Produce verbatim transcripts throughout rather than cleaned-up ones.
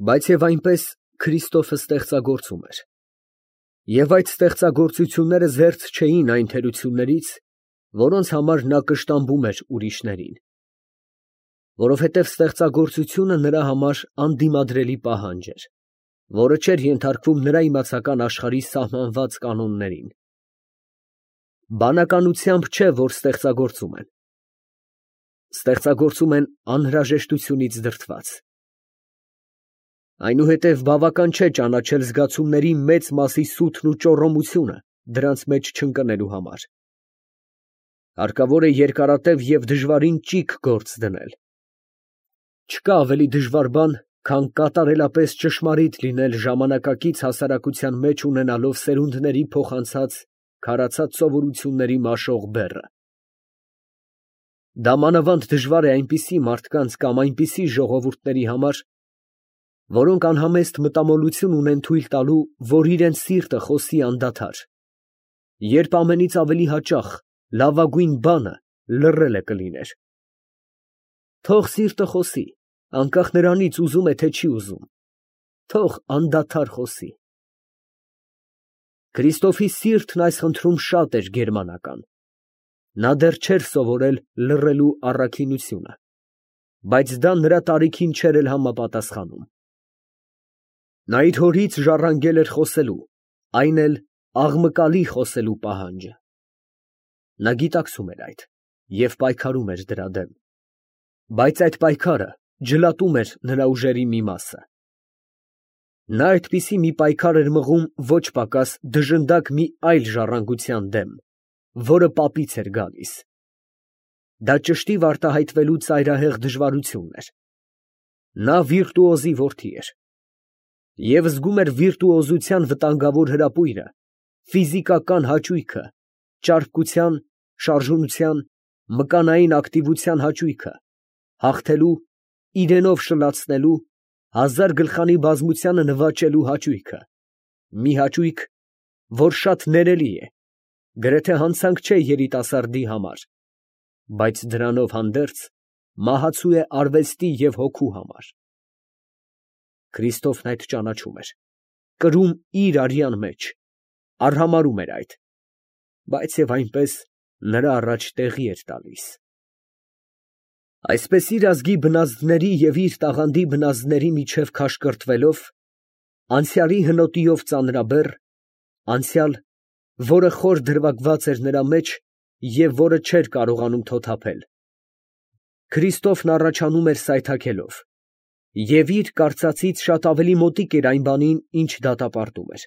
Բայց և այնպես Քրիստոֆը ստեղծագործում էր, և այդ ստեղծագործությունները զերծ չէին այն թերություններից, որոնց համար նա կշտամբում էր ուրիշներին, որովհետև ստեղծագործությունը նրա համար անդիմադրելի պահանջ էր, որը չէր ենթարկվում նրա իմացական աշխարհի սահմանված կանոններին։ Բանականությամբ չէ, որ ստեղծագործում են, ստեղծագործում են անհրաժեշտությունից դրդված։ Այնուհետև բավական չէ ճանաչել զգացումների մեծ մասի սութն ու ճոռոմությունը դրանց մեջ չընկնելու համար. հարկավոր է երկարատև և դժվարին ճիգ գործ դնել։ Չկա ավելի դժվար բան, քան կատարելապես ճշմարիտ լինել ժամանակակից հասարակության մեջ ունենալով սերունդների փոխանցած քարացած սովորությունների մաշող բեռը։ Դա մանավանդ դժվար է այնպիսի մարդկանց կամ այնպիսի ժողովուրդների համար, որոնք անհամեստ մտամոլություն ունեն թույլ տալու, որ իրենց սիրտը խոսի անդադար, երբ ամենից ավելի հաճախ լավագույն բանը լռելը կլիներ։ Թող սիրտը խոսի, անկախ նրանից ուզում է, թե չի ուզում, թող անդադար խոսի։ Քրիստոֆի սիրտն այս խնդրում շատ էր գերմանական. նա դեռ չէր սովորել լռելու առաքինությունը, բայց դա նրա տարիքին չէր էլ համապատասխանում։ Նա իր հորից ժառանգել էր խոսելու, այն էլ աղմկալի խոսելու պահանջը։ Նա գիտակցում էր այդ և պայքարում էր դրա դեմ, բայց այդ պայքարը ջլատում էր նրա ուժերի մի մասը։ Նա այդպիսի մի պայքար էր մղում ոչ պակաս դժնդակ մի այլ ժառանգության դեմ, որը պապից էր գալիս։ Դա ճշտիվ արտահայտվելու ծայրահեղ դժվարությունն էր։ Նա վիրտուոզի որդի էր և զգում էր վիրտուոզության վտանգավոր հրապույրը, ֆիզիկական հաճույքը, ճարպկության, շարժունության, մկանային ակտիվության հաճույքը, հաղթելու, իրենով շլացնելու, հազար գլխանի բազմությանը նվաճելու հաճույքը, մի հաճույք, որ շատ ներելի է, գրեթե հանցանք չէ երիտասարդի համար, բայց դրանով հանդերձ մահացու է արվեստի և հոգու համար։ Քրիստոֆն այդ ճանաչում էր, կրում իր արյան մեջ, արհամարհում էր այդ, բայց և այնպես նրա առաջ տեղի էր տալիս։ Այսպես իր ազգի բնազդների և իր տաղանդի բնազդների միջև քաշկրտվելով, անցյալի հնոտիով ծանրաբեռ, անցյալ, որը խոր դրվագված էր նրա մեջ և որը չէր կարողանում թոթափել, Քրիստոֆն առաջանում էր սայթաքելով, և իր կարծածից շատ ավելի մոտիկ էր այն բանին, ինչ դատապարտում էր։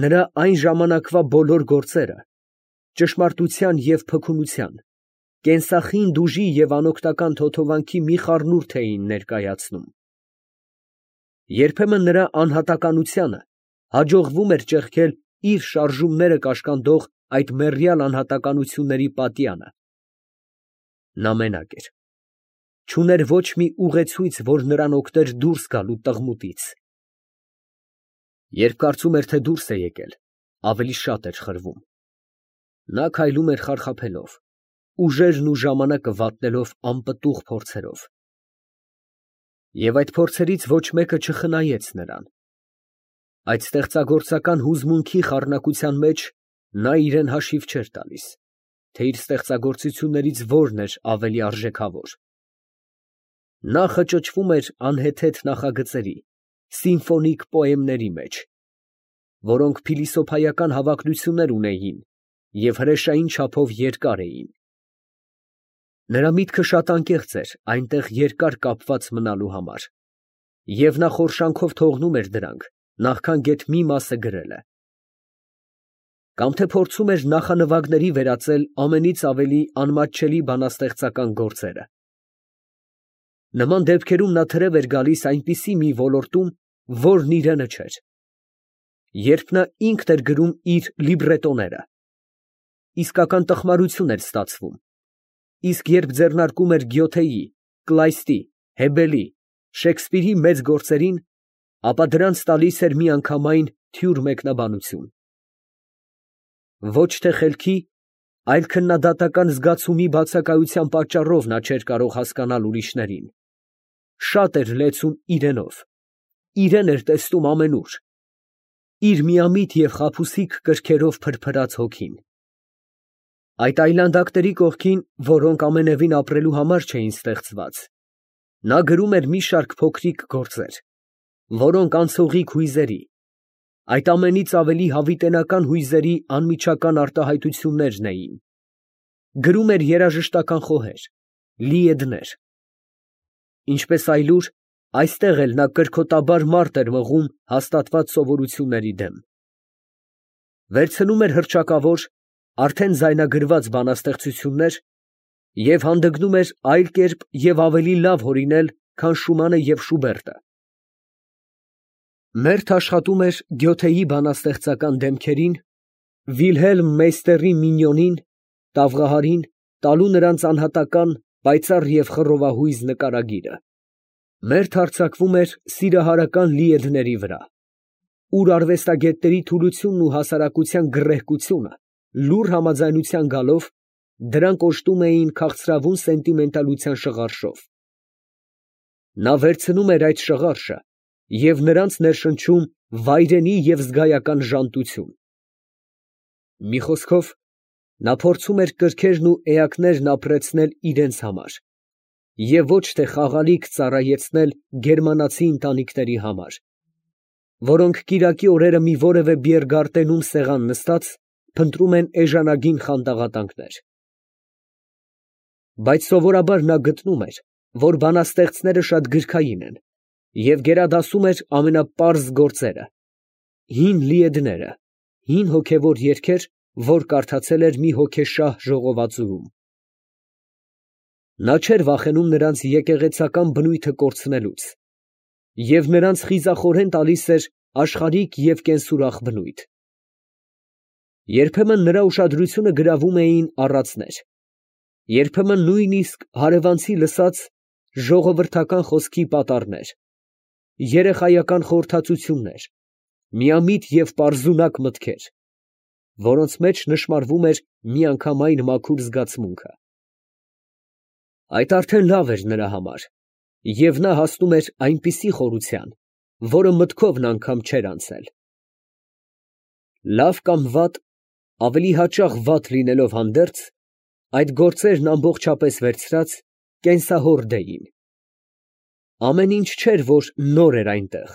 Նրա այն ժամանակվա բոլոր գործերը ճշմարտության և փքունության, կենսախինդ ուժի և անօգնական թոթովանքի մի խառնուրդ էին ներկայացնում։ Երբեմն նրա անհատականությանը հաջողվում էր ճեղքել իր շարժումները կաշկանդող այդ մեռյալ անհատականությունների պատյանը։ Նա մենակ էր, չուներ ոչ մի ուղեցույց, որ նրան օգներ դուրս գալ տղմուտից։ Երբ կարծում էր, թե դուրս է եկել, ավելի շատ էր խրվում։ Նա քայլում էր խարխափելով, ուժերն ու ժամանակը վատնելով անպտուղ փորձերով։ Եվ այդ փորձերից ոչ մեկը չխնայեց նրան։ Այդ ստեղծագործական հուզմունքի խառնակության մեջ նա իրան հաշիվ չէր տալիս, թե իր ստեղծագործություններից որն էր ավելի արժեքավոր։ Նա խճճվում էր անհեթեթ նախագծերի, սիմֆոնիկ պոեմների մեջ, որոնք փիլիսոփայական հավակնություններ ունեին և հրեշային չափով երկար էին։ Նրա միտքը շատ անկեղծ էր այնտեղ երկար կապված մնալու համար, և նա խորշանքով թողնում էր դրանք, նախքան գեթ մի մասը գրելը։ Կամ թե փորձում էր նախանվագների վերածել ամենից ավելի անմատչելի բանաստեղծական գործերը։ Նման դեպքերում նա թրև էր գալիս այնպիսի մի ոլորտում, որն իրենը չէր։ Երբ նա ինքն էր գրում իր լիբրետոները, իսկական տխմարություն էր ստացվում, իսկ երբ ձեռնարկում էր Գյոթեի, Կլայստի, Հեբելի, Շեքսպիրի մեծ գործերին, ապա դրանց տալիս էր միանգամայն թյուր մեկնաբանություն։ Ոչ թե խելքի, այլ քննադատական զգացումի բացակայության պատճառով նա չէր կարող հասկանալ ուրիշներին, շատ էր լեցուն իրենով, իրեն էր տեսնում ամենուր, իր միամիտ և խաբուսիկ կրքերով փրփրած հոգին։ Այդ այլանդակների կողքին, որոնք ամենևին ապրելու համար չէին ստեղծված, նա գրում էր մի շարք փոքրիկ գործեր, որոնք անցողիկ հույզերի, այդ ամենից ավելի հավիտենական հույզերի անմիջական արտահայտություններն էին, գրում էր երաժշտական խոհեր, լիեդներ։ Ինչպես այլուր, այստեղ էլ նա կրքոտաբար մարդ էր մղում հաստատված սովորությունների դեմ։ Վերցնում էր հռչակավոր, արդեն ձայնագրված բանաստեղծություններ և հանդգնում էր այլ կերպ և ավելի լավ հորինել, քան Շումանը և Շուբերտը։ Մերթ աշխատում էր Գյոթեի բանաստեղծական դեմքերին, Վիլհելմ Մեյստերի Մինյոնին, Տավղահարին, տալու նրանց անհատական, պայծառ և խռովահույզ նկարագիրը։ Մերթ հարձակվում էր սիրահարական լիեդների վրա, ուր արվեստագետների թուլությունն ու հասարակության գռեհկությունը լուռ համաձայնության գալով, դրանք օժտում էին քաղցրավուն սենտիմենտալության շղարշով։ Նա վերցնում էր այդ շղարշը և նրանց ներշնչում վայրենի և զգայական ժանտություն։ Մի խոսքով, նա փորձում էր կրքերն ու էակներն ապրեցնել իրենց համար և ոչ թե խաղալիք ծառայեցնել գերմանացի ընտանիքների համար, որոնք կիրակի օրերը մի որևէ բիերգարտենում սեղան նստած, փնտրում են էժանագին խանդաղատանքներ։ Բայց սովորաբար նա գտնում էր, որ բանաստեղծները շատ գրքային են և գերադասում էր ամենապարզ գործերը, հին լիեդները, հին հոգևոր երգեր, որ կարդացել էր մի հոգեշահ ժողովածուում։ Նա չէր վախենում նրանց եկեղեցական բնույթը կորցնելուց և նրանց խիզախորեն տալիս էր աշխարհիկ և կենսուրախ բնույթ։ Երբեմն նրա ուշադրությունը գրավում էին առածներ, երբեմն նույնիսկ հարևանցի լսած ժողովրդական խոսքի պատառներ, երեխայական խորհրդածություններ, միամիտ և պարզունակ մտքեր, որոնց մեջ նշմարվում էր միանգամայն մաքուր զգացմունքը։ Այդ արդեն լավ էր նրա համար, և նա հասնում էր այնպիսի խորության, որը մտքովն անգամ չէր անցել։ Լավ կամ վատ, ավելի հաճախ վատ լինելով հանդերձ, այդ գործերն ամբողջապես վերցրած, կենսահորդ էին։ Ամեն ինչ չէր, որ նոր էր այնտեղ,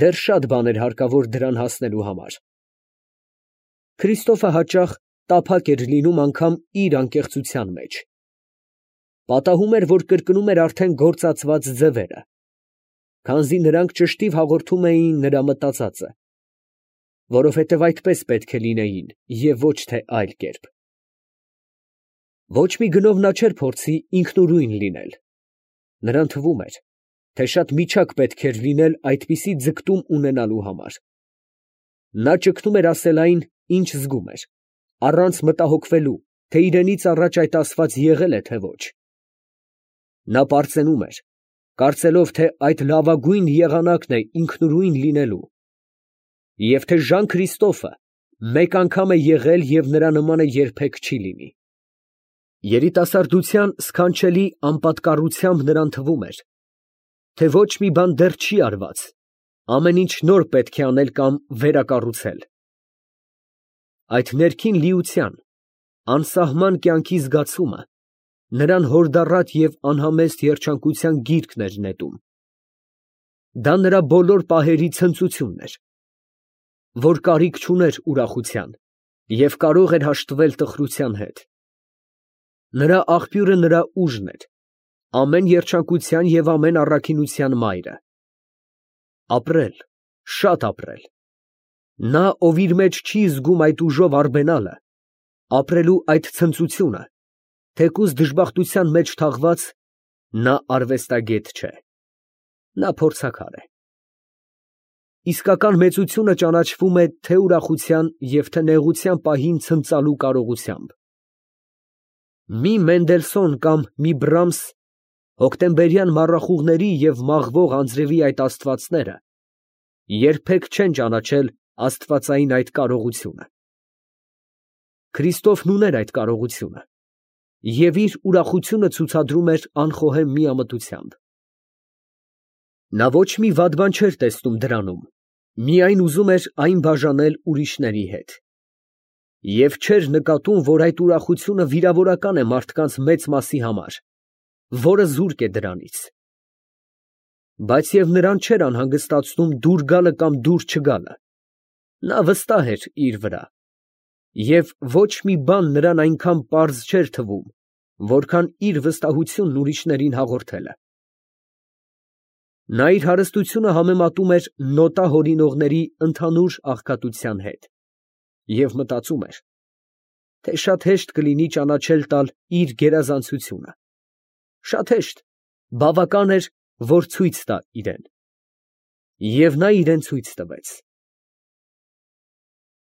դեռ շատ բան էր հարկավոր դրան հասնելու համար։ Քրիստոֆը հաճախ տափակ էր լինում անգամ իր անկեղծության մեջ։ Պատահում էր, որ կրկնում էր արդեն գործածված ձևերը, քանզի նրանք ճշտիվ հաղորդում էին նրա մտածածը, որովհետև այդպես պետք է լինեին և ոչ թե այլ կերպ։ Ոչ մի գնով նա չէր փորձի ինքնուրույն լինել, նրան թվում էր, թե շատ միջակ պետք էր լինել այդպիսի ձգտում ունենալու համար։ Նա ճգնում էր ասել այն, ինչ զգում էր, առանց մտահոգվելու, թե իրենից առաջ այդ ասված եղել է, թե ոչ։ Նա պարծենում էր, կարծելով, թե այդ լավագույն եղանակն է ինքնուրույն լինելու, և թե Ժան Քրիստոֆը մեկ անգամ է եղել և նրա նմանը երբեք չի լինի։ Երիտասարդության սքանչելի անպատկառությամբ նրան թվում էր, թե ոչ մի բան դեռ չի արված, ամեն ինչ նոր պետք է անել կամ վերակառուցել։ Այդ ներքին լիության, անսահման կյանքի զգացումը նրան հորդառատ և անհամեստ երջանկության գիրկն էր նետում։ Դա նրա բոլոր պահերի ցնծությունն էր, որ կարիք չուներ ուրախության և կարող էր հաշտվել տխրության հետ։ Նրա աղբյուրը նրա ուժն էր, ամեն երջանկության և ամեն առաքինության մայրը։ Ապրել, շատ ապրել։ Նա, ով իր մեջ չի զգում այդ ուժով արբենալը, ապրելու այդ ցնծությունը, թեկուզ դժբախտության մեջ թաղված, նա արվեստագետ չէ, նա փորձաքար է։ Իսկական մեծությունը ճանաչվում է թե ուրախության և թե նեղության պահին ցնծալու կարողությամբ։ Մի Մենդելսոն կամ մի Բրամս հոկտեմբերյան մառախուղների և մաղվող անձրևի այդ աստվածները երբեք չեն ճանաչել աստվածային այդ կարողությունը։ Քրիստոֆն ուներ այդ կարողությունը և իր ուրախությունը ցուցադրում էր անխոհեմ միամտությամբ։ Նա ոչ մի վատ բան չէր տեսնում դրանում, միայն ուզում էր այն բաժանել ուրիշների հետ, և չէր նկատում, որ այդ ուրախությունը վիրավորական է մարդկանց մեծ մասի համար, որը զուրկ է դրանից. բայց և նրան չէր անհանգստացնում դուր գալը կամ դուր չգալը. նա վստահ էր իր վրա, և ոչ մի բան նրան այնքան պարզ չէր թվում, որքան իր վստահությունն ուրիշներին հաղորդելը։ Նա իր հարստությունը համեմատում էր նոտա հորինողների ընդհանուր աղքատության հետ և մտածում էր, թե շատ հեշտ կլինի ճանաչել տալ իր գերազանցությունը, շատ հեշտ, բավական էր, որ ցույց տա իրան, և նա իրան ցույց տվեց։